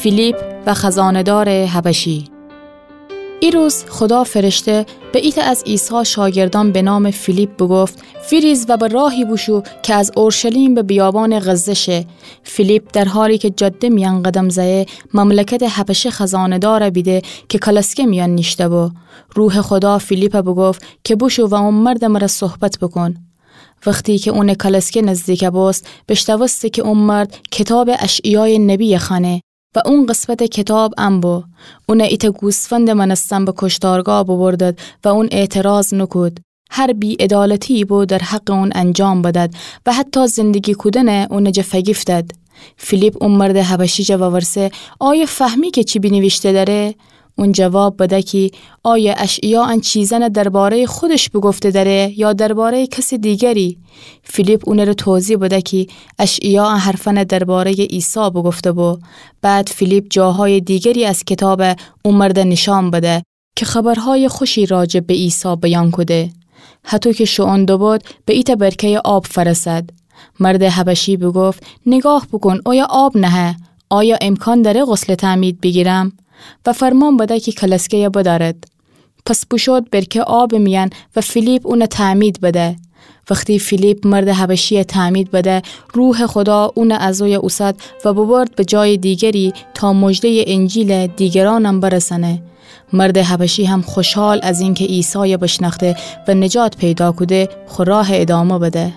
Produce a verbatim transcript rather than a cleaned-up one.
فیلیپ و خزانه‌دارٚ حبشی. ایروز خودا فرشته به ایتأ از عیسی شاگردأن به نامٚ فیلیپ بوگفت: ویریز و به راهی بوشو کی از اورشلیم به بیابانٚ غزه شه. فیلیپ در حالی کی جاده میأن قدم زأیه، مملکتٚ حبشه خزانه‌دار بیده کی کالسکه میأن نیشته‌بو. روحٚ خودا فیلیپ بوگفت کی بوشو و او مردٚ مره صحبت بوکون. وختی کی اونٚ کالسکه نزدیک بوست، بیشنوسته کی او مرد کیتابٚ اشعیایٚ نبی خوأنه و او قسمتٚ کیتاب ان بو. اون ایتأ گوسفندٚ مأنستن به کشتارگاه بوبردد و اون اعتراض نوکود. هر بی‌عدالتیی بو در حقٚ اون انجام بدد و حتی زندگی کودن اون جا فگیفتد. فیلیپ او مردٚ حبشی جا وورسه: آیا فهمی کی چی بینیویشته دأره؟ اون جواب بده کی: آیا اشعیا ان چیزأن درباره‌یٚ خودش بوگفته دأره یا درباره‌یٚ کسٚ دیگری؟ فیلیپ اونٚ ره توضیح بده کی اشعیا ان حرفأن درباره‌یٚ عیسی بوگفته‌بو. بعد فیلیپ جاهایٚ دیگری از کیتاب او مرد نیشأن بده کی خبرهایٚ خوشی راجع به عیسی بیان کوده. هطو کی شوئون دوبد، به ایتأ برکه‌یٚ آب فأرسد. مردٚ حبشی بوگفت: نیگاه بوکون، اویه آب نهه. آیا امکان دأره غسلٚ تعمید بیگیرم؟ و فرمان بده کی کالسکه‌یه بدأرد. پس بوشود برکه آبٚ میأن و فیلیپ اون تعمید بده. وختی فیلیپ مردٚ حبشیی تعمید بده، روحٚ خودا اون از اویه اوسد و ببرد به جایٚ دیگری تا مژده‌یٚ انجیل دیگرأنم برسأنه. مردٚ حبشی هم خوشحال از اینکی عیسای بیشنأخته و نجات پیدا کوده، خو راه ادامه بده.